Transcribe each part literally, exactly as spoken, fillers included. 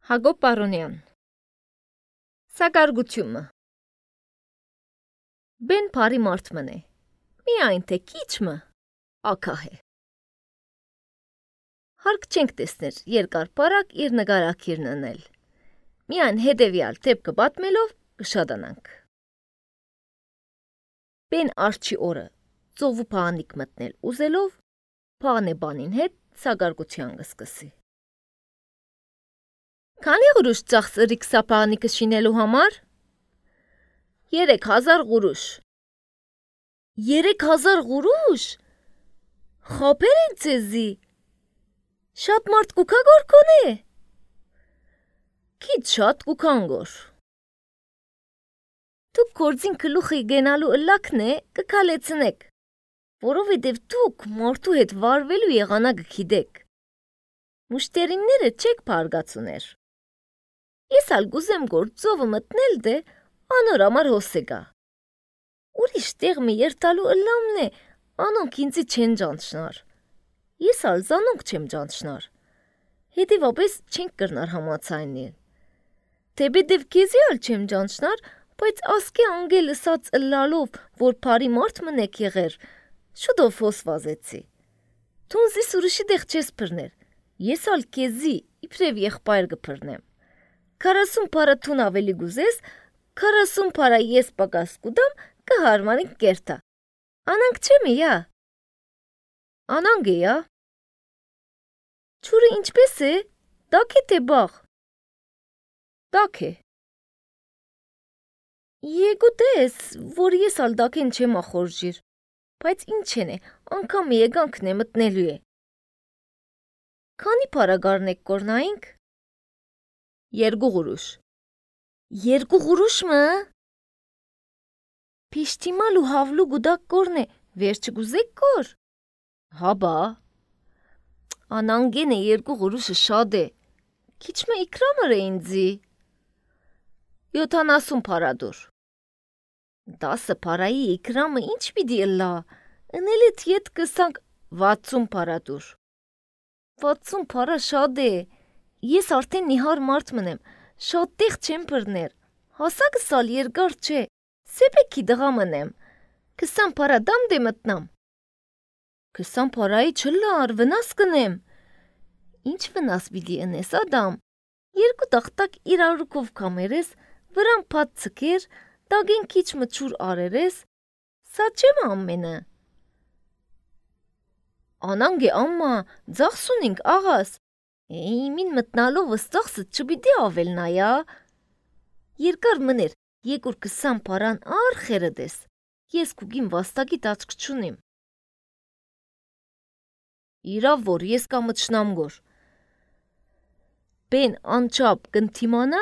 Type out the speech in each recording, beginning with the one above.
Հակոբ Պարոնյան Սակարգությունը Բեն բարի մարդ մնե, միայն թե քիչմը ակահ է։ Հարկ չենք տեսներ երկար պարակ իր նգարակիրն ընել, միայն հետևյալ թեպքը պատմելով կշադանանք։ Բեն արջի օրը ծովու փանիկ մտնել ուզելով, փանեբանին հետ սակարգության կսկսի։ Քանի գուրուշ ծախսրիք սապանիկը շինելու համար։ Երեք հազար գուրուշ։ Երեք հազար գուրուշ։ Խապեր են ցեզի։ Շատ մարդ կուքա գոր կոնե։ Քիչ շատ կուքան գոր։ Դուք կորձին գլուխի գենալու ըլլակն է կքալեցնեք, որովհետև դուք մարդու հետ վարվելու եղանակը գիտեք։ Մուշտերինները չեք փարգացուներ։ Ես ալ գուզեմ գոր ծովը մտնել դե անոր համար հոսեգա։ Ուրիշ տեղ մի երթալու ըլլամն է, անոնք ինձի չեն ջանչնար։ Ես ալ զանոնք չեմ ջանչնար։ Հետևաբես չենք կրնար համացայնել։ Թեպետև քեզի ալ չեմ ջանչնար, բայց ասկե անգել ըսած ըլլալով, որ բարի մարդ մնեք եղեր, շուտով հոս վազեցի։ Թունզիս ուրիշի տեղ չես փրներ։ Ես ալ քեզի իբրև եղբայր կփրնեմ։ Քառասուն փարա թուն ավելի գուզես, քառասուն փարա ես պակաս կուդամ կհարմարին կերտա։ Անանք չեմի յա։ Անանգ է յա։ Չուրը ինչպես է, դակ է թե բաղ։ Դակ է։ Եգու տես, որ ես ալ դակեն չեմ ախորժիր, բայց ինչ են է, անգամ եգանքն է մտնելու է։ Քանի փարա գարնեք կորնայինք։ Երկու գուրուշ։ Երկու գուրուշ մը։ Պիշտիմալու հավլու գուդակ կորն է, վերջը գուզեք կոր։ Հաբա։ Անանգեն է երկու գուրուշը շاد է։ Քիչմը իքրամր է ինձի։ Յոթանասուն փարա դուր։ Դասը փարայի իքրամը ինչ պիտի ըլլա, ընելիդ ետ կսանք վաթսուն փարա դուր։ Վաթսուն փարա շاد է։ Ես արդեն նիհար մարդ մնեմ, շատ տեղ չեմ բրներ, հասակս ալ երկար չէ, սեպեքի դղա մնեմ, քսան փարա դամ դե մտնամ։ Քսան փարայի չլար, վնաս կնեմ։ Ինչ վնաս պիտի ընես ադամ, երկու տախտակ իրարուկով կամերես, վրան պատ ցկեր, դագեն քիչ մչուր արերես, սա չեմ ամենը։ Անանգ է ամմա, ձախսունինք աղաս, Էյմին մտնալով վստախսը չպիտի ավելնայա։ Երկար մներ, եկուր քսան փարան արխերը դես, ես կուգին վաստակի տաճք չունիմ։ Իրավ որ ես կամչնամ գոր։ Բեն անչապ կնթիմանա,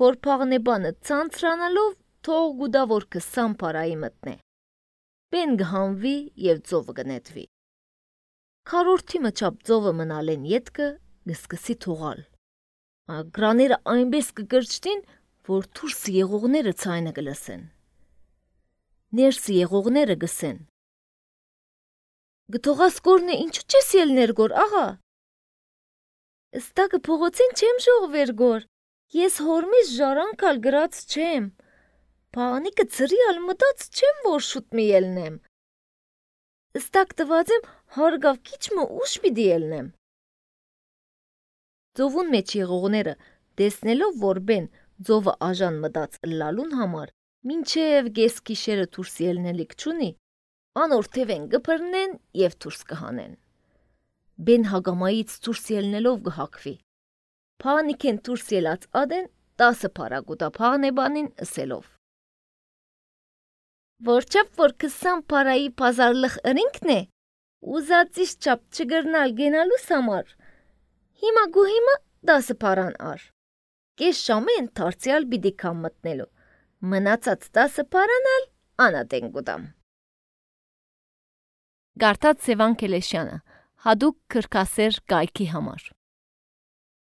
որ փաղնեբանը ցանցրանալով թող գուդա որ քսան փարայի մտնե։ Բեն գհանվի և ծովը գնետվի։ Քառորդի մչապ ծովը մնալեն ետքը գսկսի թողալ։ Գրաները այնպես կգրջտին, որ թուրսը եղողները ցայնը գլսեն։ Ներսը եղողները գսեն։ Գթողաս կորնը ինչու չես ելներ գոր աղա։ Ստակը փողոցին չեմ ժողվեր գոր, ես հորմիս ժարանքալ գրած չեմ, փաղանիկը ծրի ալ մտած չեմ որ շուտ մի ելնեմ։ Ստակ տված եմ հարգավ քիչմը ուշ պիտի ելնեմ։ Ծովուն մեջ եղողները տեսնելով որ բեն ծովը աժան մտած ըլլալուն համար, մինչև գես գիշերը դուրս ելնելիք չունի, անորթև են գփրնեն և դուրս կհանեն։ Բեն հագամայից դուրս ելնելով գհակվի։ Փանիկեն դուրս ելած ադեն տասը փարա գուտա փաղնեբանին ըսելով։ Որչապ որ քսան փարայի պազարլխ ըրինքն է, ուզածիս չապ չգրնալ գենալուս համար, հիմա գու հիմա դասը փարան ար։ Կես շամը ընթարցյալ պիտի կամ մտնելու, մնացած դասը փարան ալ անատեն գուդամ։ Գարտած Սևան Քելեշյանը, հադուկ քրքասեր կայքի համար։